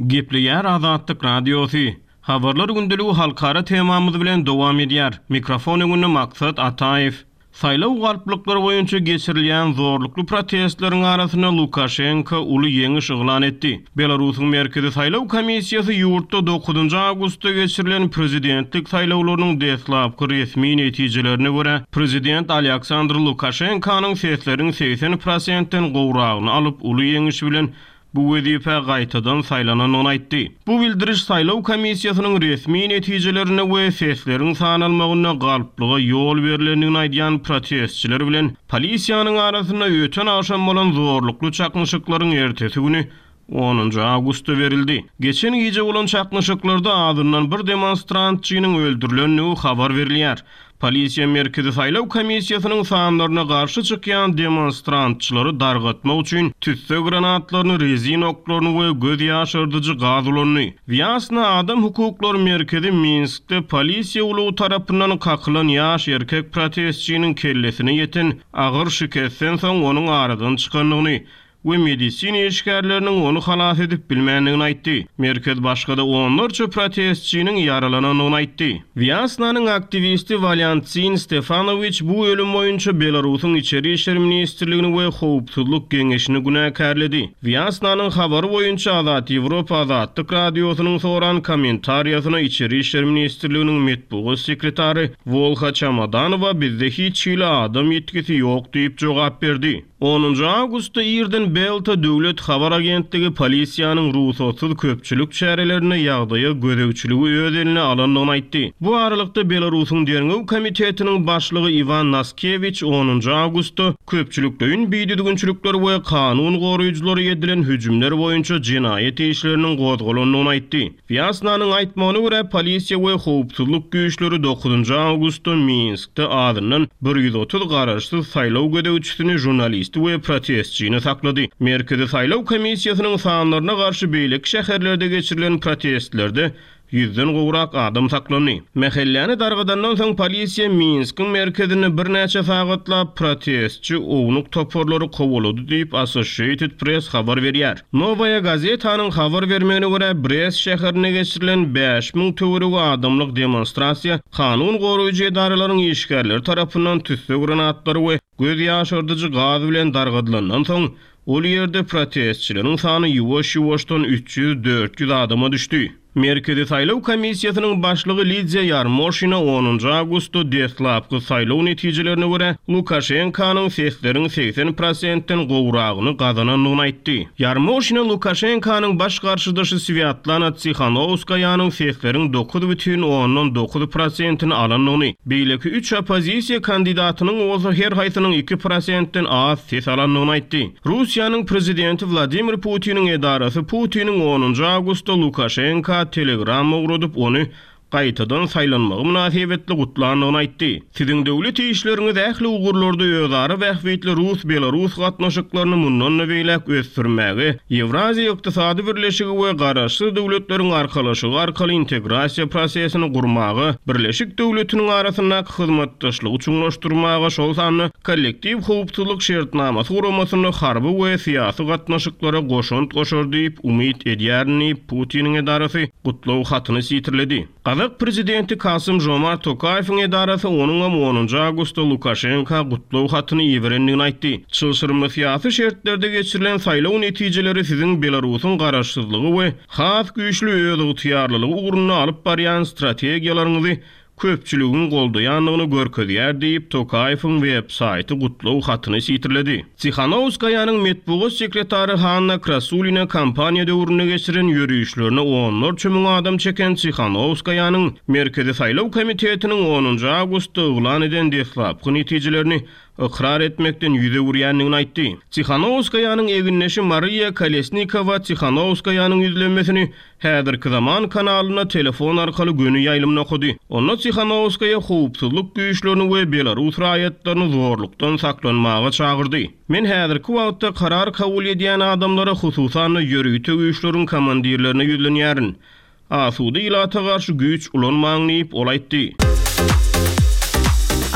Gepleýär Azatlyk Radiosy. Habarlar gündeligi halkara temamyz bilen dowam edýär. Mikrofon öňünde Maksat Ataýew. Saýlaw galplyklary boýunça geçirilýän zorlukly protestleriň arasynda Lukaşenko uly ýeňiş yglan etdi. Belarusyň Merkezi saýlaw komissiýasy ýurtda dokuzynjy awgustda geçirilen prezidentlik saýlawlarynyň deslapky resmi netijelerine görä, prezident Alýaksandr Lukaşenkonyň sesleriň 80 prosentden gowragyny alyp, uly ýeňiş bilen bu wezipä gaýtadan saýlanandygyny aýtdy. Bu bildiriş saýlaw komissiýasynyň resmi netijelerinde we sesleriň sanalmagynda galplyga ýol berlendigini aýdýan protestçiler bilen polisiýanyň arasynda öten agşam bolan zorlukly çaknyşyklaryň ertesi güni, onunjy awgustda berildi. Geçen gije bolan çaknyşyklarda azyndan bir demonstrantçynyň öldürilendigi habar berilýär. Polisiýa Merkezi saýlaw komissiýasynyň sanlaryna garşy çykýan demonstrantçylary dargatmak üçin tüsse granatlaryny, rezin oklaryny we göz ýaşardyjy gaz ulandy. Wýasna adam hukuklary merkezi Minskde polisiýa ulagy tarapyndan kakylan ýaş erkek protestçiniň kellesine ýeten agyr şikesden soň onuň aradan çykandygyny we medisina işgärleriniň ony halas edip bilmändigini aýtdy. Merkez başga-da onlarça protestçiniň ýaralanandygyny aýtdy. Wýasnanyň aktiwisti Walýantsin Stefanowiç bu ölüm boýunça Belarusyň Içeri işler ministrligini we Howpsuzlyk geňeşini günäkärledi. Wýasnanyň habary boýunça Azat Ýewropa Azatlyk Radiosynyň soran kommentariýasyna Içeri işler ministrliginiň metbugat sekretary Wolha Çamadanowa bizde hiç hili adam ýitgisi ýok diýip jogap berdi. Onunjy awgustda irden Belta döwlet habar agentligi polisiýanyň rugsatsyz köpçülik çärelerinde ýagdaýa gözegçiligi öz eline alandygyny aýtdy. Bu aralykda, Belarusyň Derňew komitetiniň başlygy Iwan Naskewiç onunjy awgustda köpçülikleýin bidüzgünçilikler we kanun goraýjylara edilen hüjümler boýunça jenaýat işleriniň gozgalandygyny aýtdy. Wýasnanyň aýtmagyna görä, polisiýa we howpsuzlyk güýçleri dokuzynjy awgustda Minskde azyndan 130 garaşsyz saýlaw gözegçisini, žurnalisti we protestçini saklady. Merkezi saýlaw komissiýasynyň sanlaryna garşy beýleki şäherlerde geçirilen protestlerde ýüzden gowrak adam saklandy. Mähelläni dargadandan soň polisiýa Minskiň merkezinde birnäçe sagatlap protestçi ownuk toparlary kowalady diýip, Associated Press habar berýär. Nowaýa gazetanyň habar bermegine görä, Brest şäherinde geçirilen 5000 töweregi adamlyk demonstrasiýa kanun goraýjy edaralaryň işgärleri tarapyndan tüsse granatlary we göz ýaşardyjy gaz bilen dargadylandan soň, ol ýerde protestçileriň sany ýuwaş-ýuwaşdan 300-400 adama düşdi. Merkezi saýlaw komissiýasynyň başlygy Lidiýa Ýarmoşina onunjy awgustda deslapky saýlaw netijelerine görä, Lukaşenkanyň sesleriň 80 prosentden gowragyny gazanandygyny aýtdy. Ýarmoşina Lukaşenkanyň baş garşydaşy Swýatlana Tsihanowskaýanyň sesleriň 9,9 prosentini alandygyny, beýleki üç oppozisiýa kandidatynyň bolsa her haýsynyň 2 prosentden az ses alandygyny aýtdy. Russiýanyň prezidenti Wladimir Putiniň edarasy Putiniň onunjy awgustda Lukaşenka telegramma ugradyp, ony gaýtadan saýlanmagy mynasybetli gutlandygyny aýtdy. Siziň döwlet işleriňiz ähli ugurlarda özara bähbitli rus-belarus gatnaşyklaryny mundan-da beýläk ösdürmäge, Ýewraziýa Ykdysady Birleşigi we Garaşsyz Döwletleriň Arkalaşygy arkaly integrasiýa prosesini gurmaga, Birleşik döwletiniň arasyndaky hyzmatdaşlygy çuňlaşdyrmaga, şol sanda Kollektiw howpsuzlyk şertnamasy guramasynda harby we syýasy gatnaşyklara goşant goşar diýip umyt edýärin diýip, Putiniň edarasy gutlag hatyny sitirledi. Gazak prezidenti Kasym-Žomart Tokaýewiň edarasy onuňam onunjy awgustda Lukaşenka gutlag hatyny iberendigini aýtdy. Çylşyrymly syýasy şertlerde geçirilen saýlaw netijeleri siziň Belarusyň garaşsyzlygy we has güýçli özygtyýarlylygy ugrunda alyp barýan strategiýalaryňyzy köpçüligiň goldaýandygyny görkezýär diýip, Tokaýewiň web-saýty gutlag hatyny sitirledi. Tsihanowskaýanyň metbugat sekretary Hanna Krasulina kampaniýa döwründe geçiren ýörişlerine onlarça müň adam çeken Tsihanowskaýanyň Merkezi saýlaw komitetiniň onunjy awgustda yglan eden deslapky netijelerini ykrar etmekden ýüz öwürýändigini aýtdy. Tsihanowskaýanyň egindeşi Mariýa Kolesnikowa Tsihanowskaýanyň ýüzlenmesini Häzirki zaman kanalynda telefon arkaly göni ýaýlymda okady. Onda Tsihanowskaýa howpsuzlyk güýçlerini we belarus raýatlaryny zorlukdan saklanmaga çagyrdy. Men häzirki wagtda karar kabul edýän adamlara, hususan-da ýörite güýçleriň komandirlerine ýüzlenýärin. Asuda ilata garşy güýç ulanmaň diýip, ol aýtdy.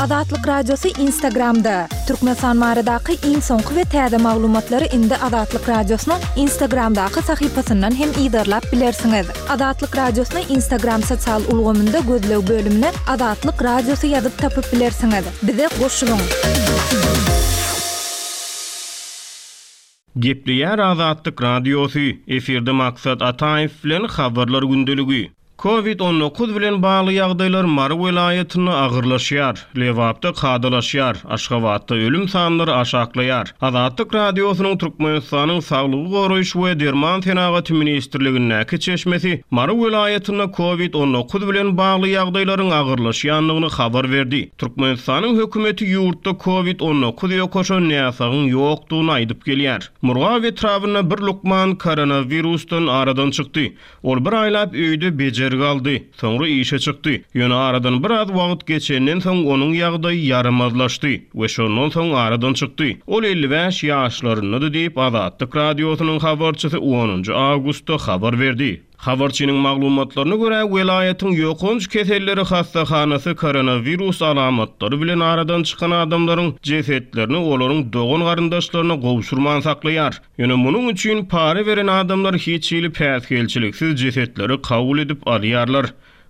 Azatlyk Radiosy Instagramda! Türkmenistan baradaky iň soňky we täze maglumatlary indi Azatlyk Radiosynyň Instagramdaky sahypasyndan hem yzarlap bilersiňiz. Azatlyk Radiosyny Instagram sosial ulgamynda gözleg bölümine Azatlyk Radiosy ýazyp tapyp bilersiňiz. Bize goşulyň! Gepleýär Azatlyk Radiosy, efirde Maksat Ataýew bilen Habarlar gündeligi. Covid 19 bilen bagly ýagdaýlar Mary welaýatynda agyrlaşýar, Lebapda kadalaşýar, Aşgabatda ölüm sanlary aşaklaýar. Azatlyk Radiosynyň Türkmenistanyň Saglygy goraýyş we derman senagaty ministrligindäki çeşmesi Mary welaýatynda Covid 19 bilen bagly ýagdaýlaryň agyrlaşýandygyny habar berdi. Türkmenistanyň hökümeti ýurtda Covid 19 ýokaşan näsagyň ýokdugyny aýdyp gelýär. Murgap etrabynda bir lukman koronawirusdan aradan çykdy. Ol bir aýlap öýde bejergi aldy, soňra işe çykdy. Ýöne aradan biraz wagt geçenden soň onuň ýagdaýy ýaramazlaşdy we şondan soň aradan çykdy. Ol 55 ýaşlaryndady diýip, Azatlyk Radiosynyň habarçysy onunjy awgustda habar berdi. Habarçynyň maglumatlaryna görä, welaýatyň ýokanç keselleri hassahanasy koronawirus alamatlary bilen aradan çykan adamlaryň jesetlerini olaryň dogan-garyndaşlaryna gowşurman saklaýar. Ýöne munuň üçin para beren adamlar hiç hili päsgelçiliksiz jesetleri kabul edip alýarlar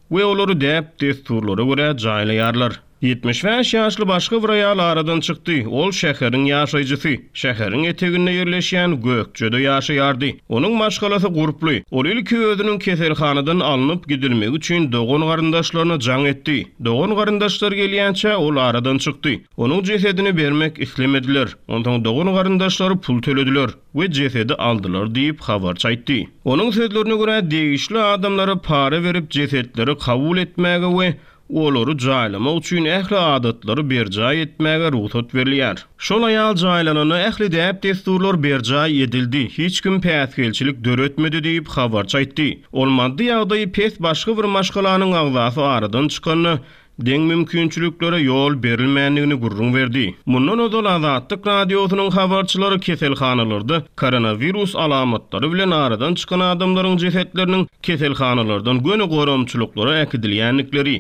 we olary däp-dessurlara görä jaýlaýarlar. 75 ýaşly başga bir aýal aradan çykdy. Ol şäheriň ýaşaýjysy. Şäheriň eteginde ýerleşýän Gökjede ýaşaýardy. Onuň maşgalasy gurply. Ol ilki özüniň keselhanadan alnyp gidilmegi üçin dogan-garyndaşlaryna jaň etdi. Dogan-garyndaşlary gelýänçä ol aradan çykdy. Onuň jesedini bermek islemediler. Onsoň dogan-garyndaşlary pul tölediler we jesedi aldylar diýip, habarçy aýtdy. Onuň sözlerine görä, degişli adamlara para berip jesetleri kabul etmäge we olary jaýlamak üçin ähli adatlary berjaý etmäge rugsat berilýär. Şol aýal jaýlananda ähli däp-dessurlar berjaý edildi, hiç kim päsgelçilik döretmedi diýip, habarçy aýtdy. Ol maddy ýagdaýy pes başga bir maşgalanyň agzasy aradan çykanda, deň mümkinçiliklere ýol berilmändigini gürrüň berdi. Mundan ozal Azatlyk Radiosynyň habarçylary keselhanalarda koronawirus alamatlary bilen aradan çykan adamlaryň jesetleriniň keselhanalardan göni goramçylyklara äkidilýändikleri,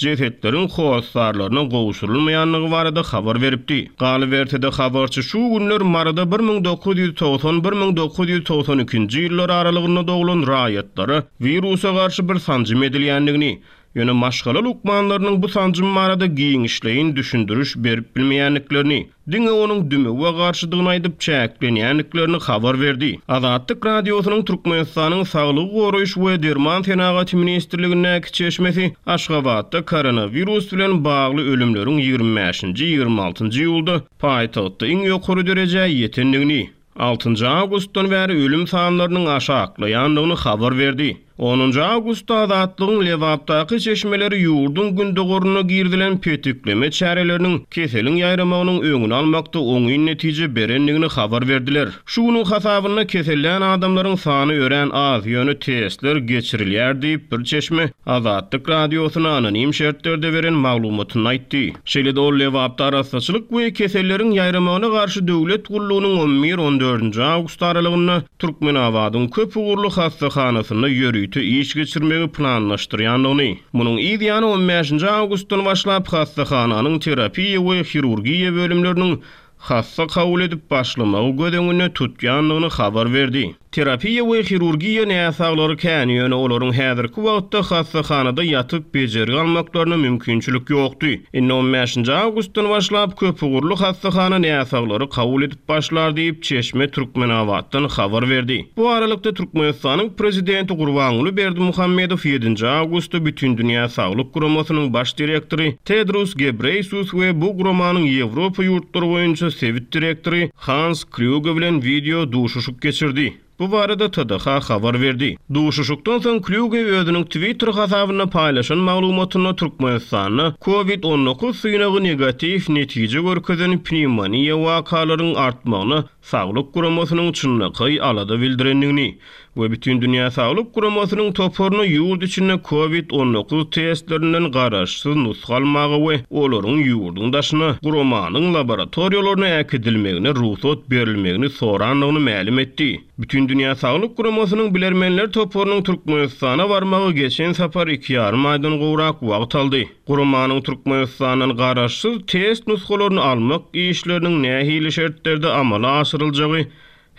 jesetleriň hossarlaryna gowşurylmaýandygy barada habar beripdi. Galyberse-de, habarçy şu günler Maryda 1990, 1992-nji ýyllar aralygynda doglan raýatlara wirusa garşy bir sanjym edilýändigini, Ýöne maşgala lukmanlarynyň bu sanjym barada giňişleýin düşündiriş berip bilmeýändiklerini, diňe onuň dümewe garşydygyny aýdyp çäklenýändiklerini habar berdi. Azatlyk Radiosynyň Türkmenistanyň Saglygy goraýyş we derman senagaty ministrligindäki çeşmesi Aşgabatda koronawirus bilen bagly ölümleriň ýigrimi bäşinji, ýigrimi altynjy iýulda paýtagtda iň ýokary derejä ýetendigini, Altynjy awgustdan bäri ölüm sanlarynyň aşaklaýandygyny habar berdi. Onunjy awgustda Azatlygyň Lebapdaky çeşmeleri ýurduň gündogarynda girizilen petikleme çäreleriniň keseliň ýaýramagynyň öňüni almakda oňyn netije berendigini habar berdiler. Şu günüň hasabynda kesellän adamlaryň sany örän az, ýöne testler geçirilýär diýip, bir çeşme Azatlyk Radiosyna anonim şertlerde beren maglumatynda aýtdy. Şeýle-de ol Lebapda arassaçylyk we keselleriň ýaýramagyna garşy döwlet gullugynyň on bir, on dördünji awgust aralygynda Türkmenabadyň köp ugurly hassahanasynda ýörite iş geçirmegi planlaşdyrýandygyny, munuň yz ýany on bäşinji awgustdan başlap hassahananyň terapiýa we hirurgiýa bölümleriniň hassa kabul edip başlamagy göz öňünde tutýandygyny habar berdi. Terapiýa we hirurgiýa näsaglary kän, ýöne olaryň häzirki wagtda hassahanada ýatyp bejergi almaklaryna mümkinçilik ýokdy. Indi on bäşinji awgustdan başlap köpugurly hassahana näsaglary kabul edip başlar diýip, çeşme Türkmenabatdan habar berdi. Bu aralykda, Türkmenistanyň Prezidenti Gurbanguly Berdimuhamedow ýedinji awgustda Bütindünýä Saglyk Guramasynyň baş direktory Tedros Gebreýsus we bu guramanyň Ýewropa ýurtlary boýunça sebit direktory Hans Klýuge bilen wideo duşuşyk geçirdi. Bu barada TDH habar berdi. Duşuşykdan soň Klýuge özüniň Twitter hasabynda paýlaşan maglumatynda Türkmenistanda Covid 19 synagy negatiw netije görkezen pnewmoniýa wakalaryň artmagyna Saglyk guramasynyň çynlakaý alada bildirendigini we Bütindünýä Saglyk Guramasynyň toparyna ýurt içinde Covid 19 testlerinden garaşsyz nusga almaga we olaryň ýurduň daşyna guramanyň laboratoriýalaryna äkidilmegine rugsat berilmegini sorandygyny mälim etdi. Bütindünýä. Bütindünýä Saglyk Guramasynyň bilermenler toparynyň Türkmenistana barmagy geçen sapar iki ýarym aýdan gowrak wagt aldy. Guramanyň Türkmenistandan garaşsyz test nusgalaryny almak işleriniň nähili şertlerde amala aşyryljagy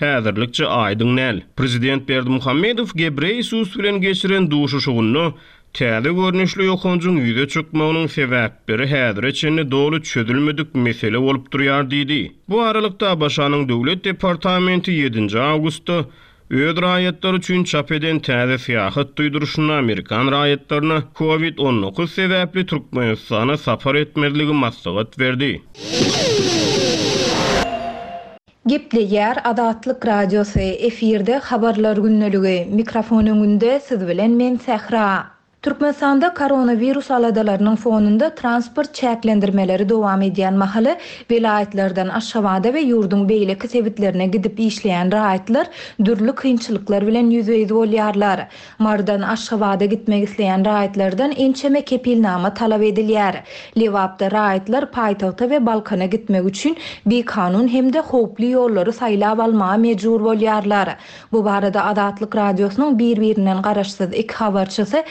häzirlikçe aýdyň däl. Prezident Berdimuhamedow Gebreýesus bilen geçiren duşuşygynda täze görnüşli ýokanjyň ýüze çykmagynyň sebäpleri häzire çenli doly çözülmedik mesele bolup durýar diýdi. Bu aralykda, ABŞ-nyň Döwlet departamenti ýedinji awgustda öz raýatlary üçin çap eden täze syýahat duýduryşynda amerikan raýatlaryna Covid 19 sebäpli Türkmenistana sapar etmezligi maslahat berdi. Gepleýär Azatlyk Radiosy, efirde Habarlar gündeligi, mikrofon öňünde siz bilen men Sähra. Türkmenistanda koronawirus aladalarynyň fonunda transport çäklendirmeleri dowam edýän mahaly, welaýatlardan Aşgabada we ýurduň beýleki sebitlerine gidip işleýän raýatlar dürli kynçylyklar bilen ýüzbe-ýüz bolýarlar. Marydan Aşgabada gitmek isleýän raýatlardan ençeme kepilnama talap edilýär. Lebapda raýatlar paýtagta we Balkana gitmek üçin bikanun hem-de howply ýollary saýlap almaga mejbur bolýarlar. Bu barada Azatlyk Radiosynyň bir-birinden garaşsyz iki habarçysy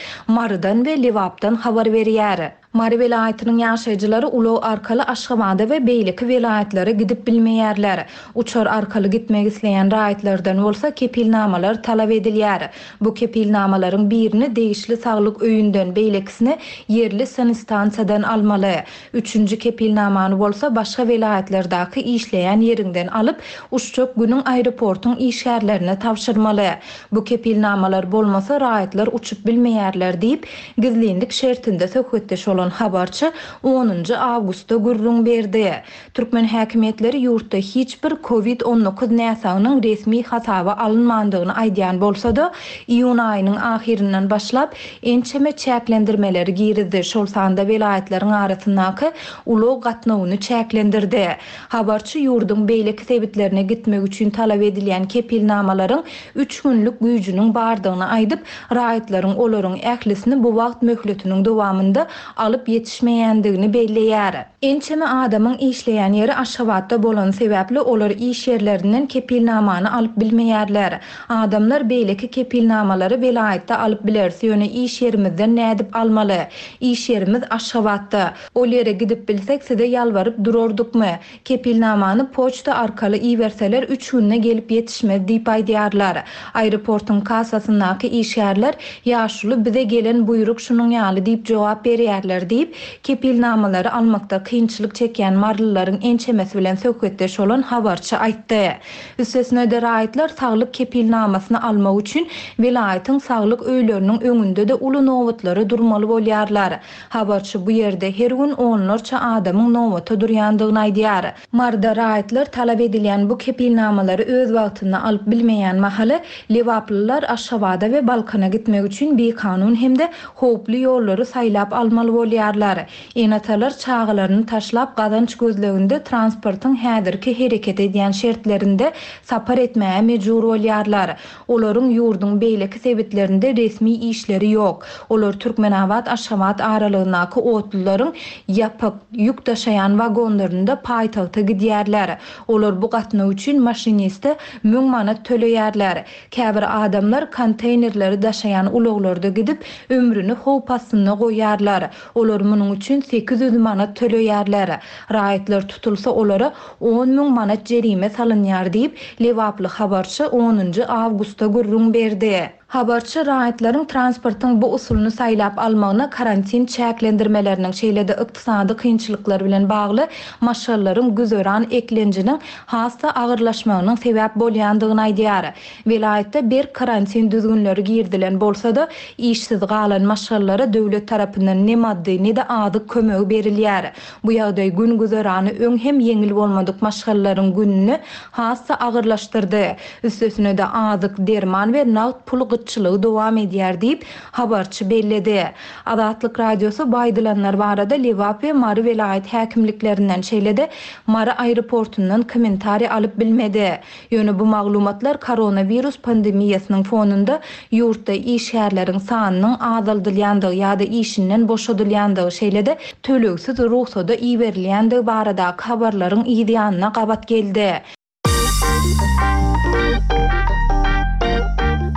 Marydan we Lebapdan habar berýär. Mary welaýatynyň ýaşaýjylary ulag arkaly Aşgabada we beýleki welaýatlara gidip bilmeýärler. Uçar arkaly gitmek isleýän raýatlardan bolsa kepilnamalar talap edilýär. Bu kepilnamalaryň birini degişli saglyk öýünden, beýlekisini ýerli sanstansiýadan almaly. Üçünji kepilnamany bolsa başga welaýatlardaky işleýän ýeriňden alyp, uçjak günüň aeroportuň işgärlerine tabşyrmaly. Bu kepilnamalar bolmasa raýatlar uçup bilmeýärler diýip, Gizlinlik şertinde söhbetdeş bolan habarçy onunjy awgustda gürrüň berdi. Türkmen häkimiýetleri ýurtda hiç bir Covid 19 näsagynyň resmi hasaba alynmandygyny aýdýan bolsa-da, iýun aýynyň ahyryndan başlap, ençeme çäklendirmeleri girizdi, şol sanda welaýatlaryň arasyndaky ulag gatnawyny çäklendirdi. Habarçy ýurduň beýleki sebitlerine gitmek üçin talap edilýän kepilnamalaryň üç günlük güýjüniň bardygyny aýdyp, raýatlaryň olaryň ählisini bu wagt möhletiniň dowamynda alyp ýetişmeýändigini belleýär. Ençeme adamyň işleýän ýeri Aşgabatda bolany sebäpli olar iş ýerlerinden kepilnamany alyp bilmeýärler. Adamlar beýleki kepilnamalary welaýatda alyp bileris, ýöne iş ýerimizden nädip almaly? Iş ýerimiz Aşgabatda. Ol ýere gidip bilsek size ýalbaryp durardykmy? Kepilnamany poçta arkaly iberseler üç günde gelip ýetişmez diýip aýdýarlar. Aeroportuň kassasyndaky işgärler Ýaşuly bize gelen buýruk şunuň ýaly diýip jogap berýärler diýip, kepilnamalary almakda kynçylyk çekýän marylylaryň ençemesi bilen söhbetdeş bolan habarçy aýtdy. Üstesine-de raýatlar saglyk kepilnamasyny almak üçin welaýatyň saglyk öýleriniň öňünde-de uly nobatlara durmaly bolýarlar. Habarçy bu ýerde her gün onlarça adamyň nobata durýandygyny aýdýar. Maryda raýatlar talap edilýän bu kepilnamalary öz wagtynda alyp bilmeýän mahaly, lebaplylar Aşgabada we Balkana gitmek üçin bikanun hem-de howply ýollary saýlap almaly bolýarlar. Ene-atalar çagalaryny taşlap gazanç gözleginde transportyň häzirki hereket edýän şertlerinde sapar etmäge mejbur bolýarlar. Olaryň ýurduň beýleki sebitlerinde resmi işleri ýok. Olar Türkmenabat-Aşgabat aralygyndaky otlularyň ýapyk, ýük daşaýan wagonlarynda paýtagta gidýärler. Olar bu gatnaw üçin maşiniste müň manat töleýärler. Käbir adamlar konteýnerleri daşaýan ulaglarda gidip, ömrüni howp astynda goýýarlar. Olar munuň üçin 800 manat töleýärler. Raýatlar tutulsa olara 10,000 manat jerime salynýar diýip, lebaply habarçy onunjy awgustda gürrüň berdi. Habarçy raýatlaryň transportyň bu usulyny saýlap almagyna karantin çäklendirmeleriniň, şeýle-de ykdysady kynçylyklar bilen bagly maşgalalaryň güzeran eklenjiniň has-da agyrlaşmagynyň sebäp bolýandygyny aýdýar. Welaýatda berk karantin düzgünleri girizilen bolsa-da, işsiz galan maşgalalara döwlet tarapyndan ne maddy, ne-de azyk kömegi berilýär. Bu ýagdaý gün-güzerany öň hem ýeňil bolmadyk maşgalalaryň gününi has-da agyrlaşdyrdy. Üstesine-de azyk, derman we nagt pul gytçylygy dowam edýär diýip, habarçy belledi. Azatlyk Radiosy bu aýdylanlar barada Lebap we Mary welaýat häkimliklerinden, şeýle-de Mary aeroportundan kommentariý alyp bilmedi. Ýöne bu maglumatlar koronawirus pandemiýasynyň fonunda ýurtda işgärleriň sanynyň azaldylýandygy ýa-da işinden boşadylýandygy, şeýle-de tölegsiz rugsada iberilýändigi baradaky habarlaryň yz ýanyna gabat geldi.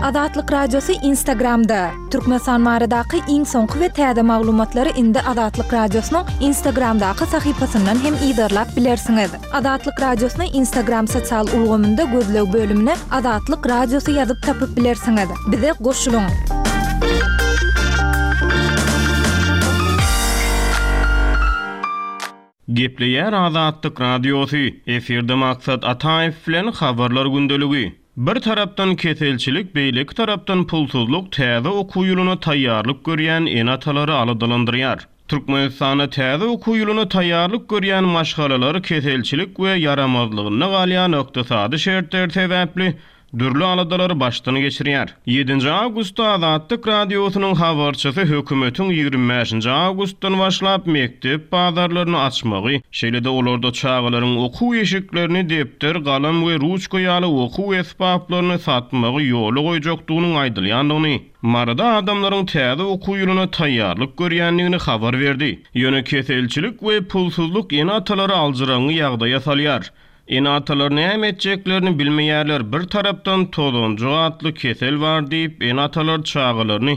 Azatlyk Radiosy Instagramda! Türkmenistan baradaky iň soňky we täze maglumatlary indi Azatlyk Radiosynyň Instagramdaky sahypasyndan hem yzarlap bilersiňiz. Azatlyk Radiosyny Instagram sosial ulgamynda gözleg bölümine Azatlyk Radiosy ýazyp tapyp bilersiňiz. Bize goşulyň! Gepleýär Azatlyk Radiosy, efirde Maksat Ataýew bilen Habarlar gündeligi. Bir tarapdan keselçilik, beýleki tarapdan pulsuzlyk täze okuw ýylyna taýýarlyk görýän ene-atalary aladalandyrýar. Türkmenistanda täze okuw ýylyna taýýarlyk görýän maşgalalar keselçilik we ýaramazlygynda galýan ykdysady şertler sebäpli dürli aladalary başdan geçirýär. Ýedinji awgustda Azatlyk Radiosynyň habarçysy hökümetiň 25-nji awgustdan başlap mekdep bazarlaryny açmagy, şeýle-de olarda çagalaryň okuw eşiklerini, depder, galam we ruçka ýaly okuw esbaplaryny satmagy ýola goýjakdygynyň aýdylýandygyny, Maryda adamlaryň täze okuw ýylyna taýýarlyk görýändigini habar berdi. Ýöne keselçilik we pulsuzlyk ene-atalary aljyraňňy ýagdaýa salýar. Ene-atalar näme etjeklerini bilmeýärler, bir tarapdan tozanjyk atly kesel bar diýip, ene-atalar çagalaryny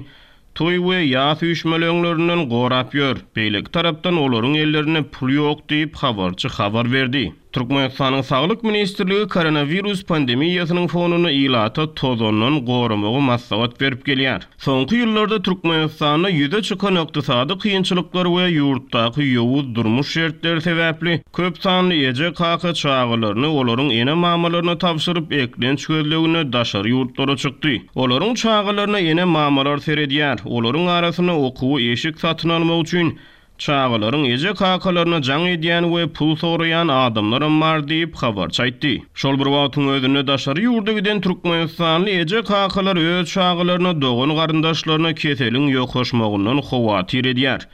toý we ýas üýşmeleňlerinden gorap ýör, beýleki tarapdan olaryň ellerinde pul ýok diýip, habarçy habar berdi. Türkmenistanyň Saglyk ministrligi koronawirus pandemiýasynyň fonunda ilata tozandan goramagy maslahat berip gelýär. Soňky ýyllarda Türkmenistanda ýüze çykan ykdysady kynçylyklar we ýurtdaky ýowuz durmuş şertleri sebäpli köp sanly eje-kaka çagalaryny olaryň ene-mamalaryna tabşyryp, eklenç gözleginde daşary ýurtlara çykdy. Olaryň çagalaryna ene-mamalar seredýär. Olaryň arasynda okuwa eşik satyn almak üçin Çagalaryň eje-kakalaryna jaň edýän we pul soraýan adamlaram bar diýip, habarçy aýtdy. Şol bir wagtyň özünde daşary ýurda giden türkmenistanly eje-kakalar öz çagalaryna, dogan-garyndaşlaryna keseliň ýokaşmagyndan howatyr edýär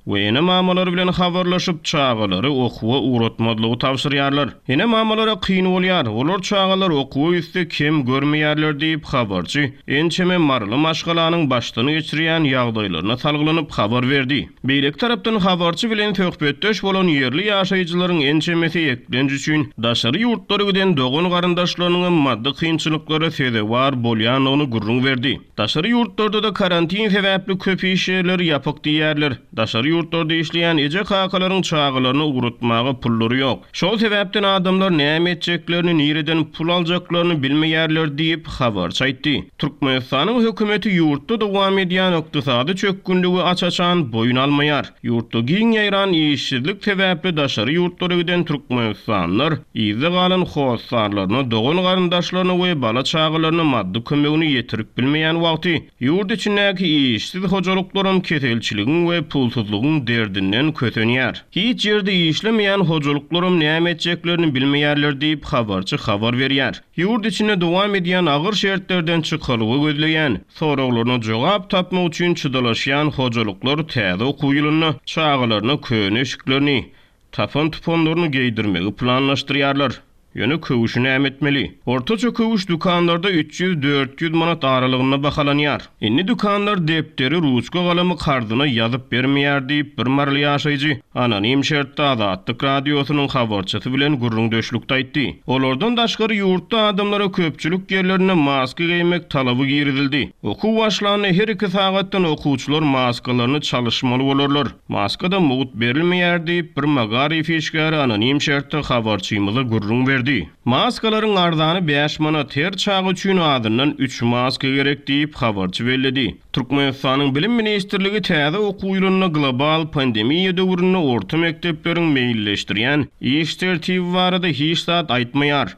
we ene-mamalary bilen habarlaşyp, çagalary okuwa ugratmazlygy tabşyrýarlar. Ene-mamalara kyn bolýar, olar çagalar okuwa gitse kem görmeýärler diýip, habarçy ençeme maryly maşgalanyň başdan geçirýän ýagdaýlaryna salgylanyp habar berdi. Beýleki tarapdan habarçy bilen söhbetdeş bolan ýerli ýaşaýjylaryň ençemesi eklenç üçin daşary ýurtlara giden dogan-garyndaşlarynyňam maddy kynçylyklara sezewar bolýandygyny gürrüň berdi. Daşary ýurtlarda-da karantin sebäpli köp iş ýerleri ýapyk diýýärler. Daşary ýurtlarda işleýän eje-kakalaryň çagalaryny ugratmaga pullary ýok. Şol sebäpden adamlar näme etjeklerini, nireden pul aljaklaryny bilmeýärler diýip, habarçy aýtdy. Türkmenistanyň hökümeti ýurtda dowam edýän ykdysady çökgünligi aç-açan boýun almaýar. Ýurtda giň ýaýran işsizlik sebäpli daşary ýurtlara giden türkmenistanlylar yzda galan hossarlaryna, dogan-garyndaşlaryna we bala-çagalaryna maddy kömegini ýetirip bilmeýän wagty, Ýurt içindäki işsiz hojalyklaram keselçiligiň we pulsuzlygyň derdinden kösenýär. Hiç ýerde işlemeýän hojalyklaram näme etjeklerini bilmeýärler diýip, habarçy habar berýär. Ýurt içinde dowam edýän agyr şertlerden çykalga gözleýän, soraglaryna jogap tapmak üçin çydalaşýan hojalyklar täze okuw ýylynda çagalaryna köne eşiklerini, Tapan-tupanlaryny geýdirmegi planlaşdyrýarlar. Ýöne köwşi näme etmeli? Ortaça köwüş dükanlarda 300-400 manat aralygynda bahalanýar. Indi dükanlar depderi, ruçka-galamy karzyna ýazyp bermeýär diýip, bir maryly ýaşaýjy anonim şertde Azatlyk Radiosynyň habarçysy bilen gürrüňdeşlikde aýtdy. Olardan daşgary ýurtda adamlara köpçülik ýerlerinde maska geýmek talaby girizildi. Okuw başlanda her iki sagatdan okuwçylar maskalaryny çalyşmaly bolarlar. Maska-da mugt berilmeýär diýip, bir magaryf işgäri anonim şertde habarçymyza gürrüň berdi. Maskalaryň arzany bäş manat, her çaga üçin azyndan üç maska gerek diýip, habarçy belledi. Türkmenistanyň Bilim ministrligi täze okuw ýylynda global pandemiýa döwründe orta mekdepleriň meýilleşdirýän iş tertibi barada hiç zat aýtmaýar.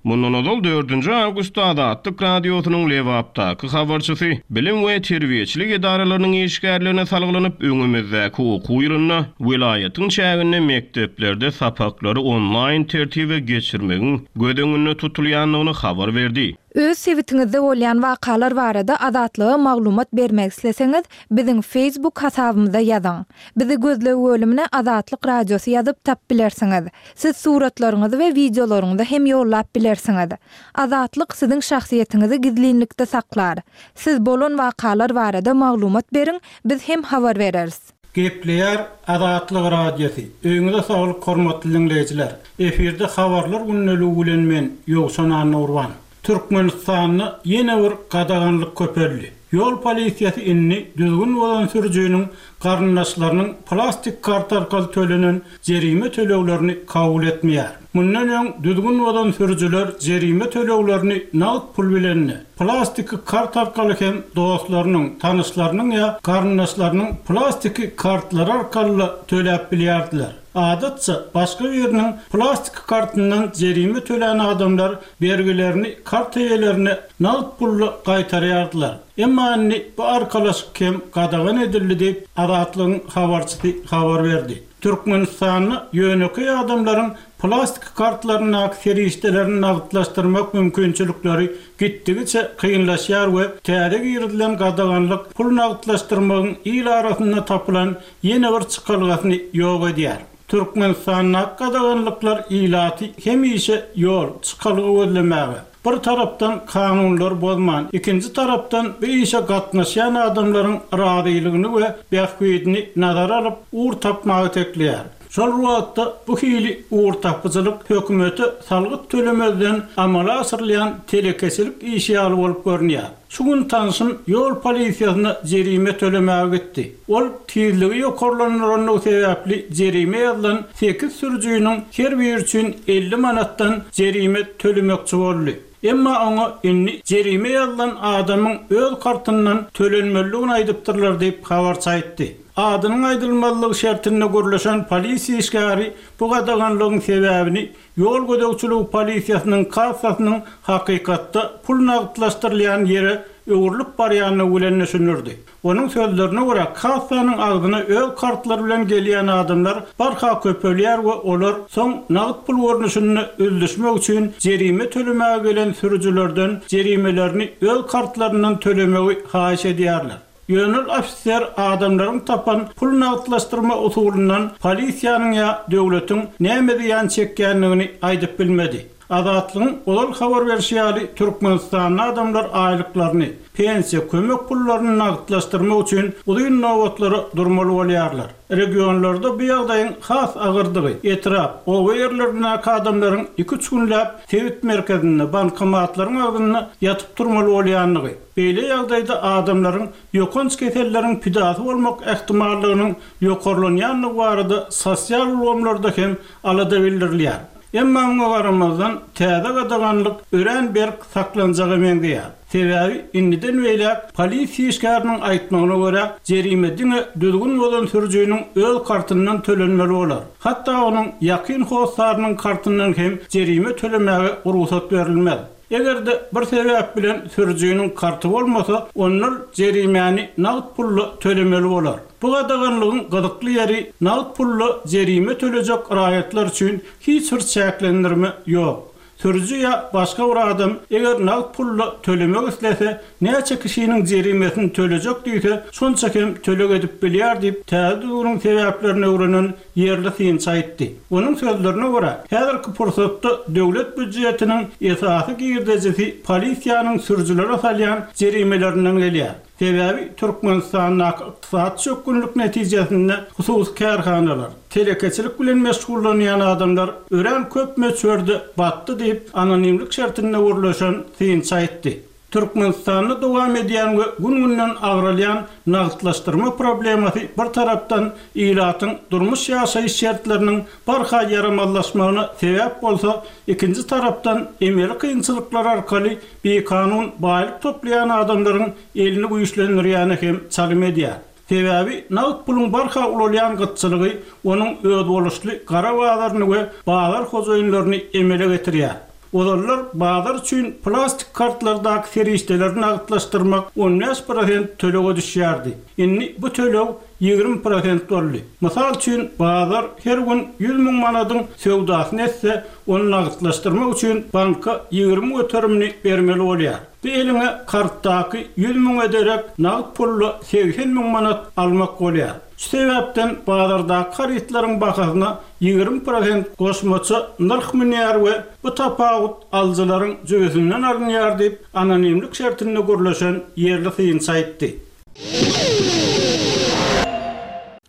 Mundan ozal dördünji awgustda Azatlyk Radiosynyň Lebapdaky habarçysy bilim we terbiýeçilik edaralarynyň işgärlerine salgylanyp, öňümizdäki okuw ýylynda welaýatyň çäginde mekdeplerde sapaklary onlaýn tertibe geçirmegiň göz öňünde tutulýandygyny habar berdi. Öz sebitiňizde bolýan wakalar barada Azatlyga maglumat bermek isleseňiz, biziň Facebook hasabymyza ýazyň. Bizi gözleg bölümine Azatlyk Radiosy ýazyp tap bilersiňiz. Siz suratlaryňyzy we wideolaryňyzy hem ýollap bilersiňiz. Azatlyk siziň şahsyýetiňizi gizlinlikde saklar. Siz bolan wakalar barada maglumat beriň, biz hem habar bereris. Gepleýär Azatlyk Radiosy, Öýüňize saglyk hormatly diňleýjiler! Efirde Habarlar gündeligi bilen men, Ýowşan Annagurban. Türkmenistanda ýene bir gadaganlyk köpeldi. Ýol polisiýasy indi düzgün bozan sürüjiniň garyndaşlarynyň plastik karta arkaly tölenen jerime töleglerini kabul etmeýär. Mundan öň düzgün bozan sürüjiler jerime töleglerini nagt pul bilen-de, plastiki kart arkaly hem dostlarynyň, tanyşlarynyň ýa garyndaşlarynyň plastiki kartlary arkaly-da töläp bilýärdiler. Adatça, başga biriniň plastiki kartyndan jerime tölän adamlar bergilerini kart eýelerine nagt pulda gaýtarýardylar. Emma indi bu arkalaşyk hem gadagan edildi diýip, Azatlygyň habarçysy habar berdi. Türkmenistanda ýönekeý adamlaryň plastik kartlaryndaky serişdelerini nagtlaşdyrmak mümkinçilikleri gitdigiçe kynlaşýar we täze girizilen gadaganlyk pul nagtlaşdyrmagyň il arasynda tapylan ýene bir çykalgasyny ýok edýär. Türkmenistandaky gadaganlyklar ilaty hemişe ýol, çykalga gözlemäge, bir tarapdan kanunlary bozman, ikinji tarapdan bu işe gatnaşýan adamlaryň razylygyny we bähbidini nazara alyp, ugur tapmaga itekleýär. Şol bir wagtda bu hili ugurtapyjylyk hökümete salgyt tölemezden amala aşyrylýan telekeçilik işi ýaly bolup görünýär. Şu gün tanşym ýol polisiýasyna jerime tölemäge gitdi. Ol tizligi ýokarlandyrandygy sebäpli jerime ýazylan sekiz sürüjiniň her biri üçin 50 manatdan jerime tölemekçi boldy. Emma oňa indi jerime ýazylan adamyň öz kartyndan tölenmelidigini aýdypdyrlar diýip, habarçy aýtdy. Adynyň aýdylmazlygy şertinde gürleşen polisiýa işgäri bu gadaganlygyň sebäbini Ýol gözegçiligi polisiýasynyň kassasynyň hakykatda pul nagtlaşdyrylýan ýere öwrülip barýandygy bilen düşündirdi. Onuň sözlerine görä, kassanyň agzyna öz kartlary bilen gelýän adamlar barha köpelýär we olar soň nagt pul görnüşinde üzlüşmek üçin jerime tölemäge gelen sürüjilerden jerimelerini öz kartlaryndan tölemegi haýyş edýärler. Ýöne ol ofiser adamlaryň tapan pul nagtlaşdyrma usulyndan polisiýanyň ýa döwletiň näme zyýan çekýändigini aýdyp bilmedi. Azatlygyň ozal habar berşi ýaly, Türkmenistanda adamlar aýlyklaryny, pensiýa, kömek pullaryny nagtlaşdyrmak üçin uzyn nobatlara durmaly bolýarlar. Regionlarda bu ýagdaýyň has agyrdygy, etrap, oba ýerlerindäki adamlaryň iki-üç günläp sebit merkezinde, bankomatlaryň agzynda ýatyp turmaly bolýandygy, Beýle ýagdaýda adamlaryň ýokanç keselleriň pidasy bolmak ähtimallygynyň ýokarlanýandygy barada sosial ulgamlarda hem alada bildirilýär. Emma muňa garamazdan, täze gadaganlyk örän berk saklanjaga meňzeýär. Sebäbi indiden beýläk polisiýa işgäriniň aýtmagyna görä, jerime diňe düzgün bozan sürüjiniň öz kartyndan tölenmeli bolar. Hatda onuň ýakyn hossarynyň kartyndan hem jerime tölemäge rugsat berilmez. Eger-de bir sebäp bilen sürüjiniň karty bolmasa, onda ol jerimäni nagt pulda tölemeli bolar. Bu gadaganlygyň gyzykly ýeri, nagt pulda jerime tölejek raýatlar üçin hiç bir çäklendirme ýok. Sürüji ýa başga bir adam eger nagt pulda tölemek islese, näçe kişiniň jerimesini tölejek diýse, şonça hem töleg edip bilýär diýip, täze düzgüniň sebäplerini öwrenen ýerli synçy aýtdy. Onuň sözlerine görä, häzirki pursatda döwlet býujetiniň esasy girdejisi polisiýanyň sürüjilere salýan jerimelerinden gelýär. Sebäbi Türkmenistandaky ykdysady çökgünlik netijesinde hususy kärhanalar, telekeçilik bilen meşgullanýan adamlar örän köp möçberde batdy diýip, anonimlik şertinde gürleşen synçy aýtdy. Türkmenistanda dowam edýän we gün-günden agralýan nagtlaşdyrma problemasy bir tarapdan ilatyň durmuş-ýaşaýyş şertleriniň barha ýaramazlaşmagyna sebäp bolsa, ikinji tarapdan emeli kynçylyklar arkaly bikanun baýlyk toplaýan adamlaryň elini güýçlendirýäne hem çalym edýär. Sebäbi nagt puluň barha ulalýan gytçylygy onuň özboluşly gara bazaryny we bazar hojaýynlaryny emele getirýär. Ozallar bazar üçin plastik kartlardaky serişdeleri nagtlaşdyrmak 15 prosent tölege düşýärdi. Indi bu töleg 20 prosent boldy. Mysal üçin, bazar her gün 100 müň manadyň söwdasyny etse, ony nagtlaşdyrmak üçin banka 20 göterimini bermeli bolýar. Bu eliňe kartdaky 100 müňe derek nagt pulda 80 müň manat almak bolýar. Şu sebäpden bazardaky harytlaryň bahasyna 20 prosent goşmaça nyrh münýär we bu tapawut alyjylaryň jübüsinden alynýar diýip, anonimlik şertinde gürleşen ýerli synçy aýtdy.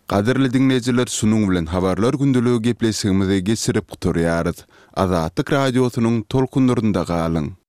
Gadyrly diňleýjiler şunuň bilen Habarlar gündeligi gepleşigimizi geçirip gutarýarys. Azatlyk Radiosynyň tolkunlarynda galyň!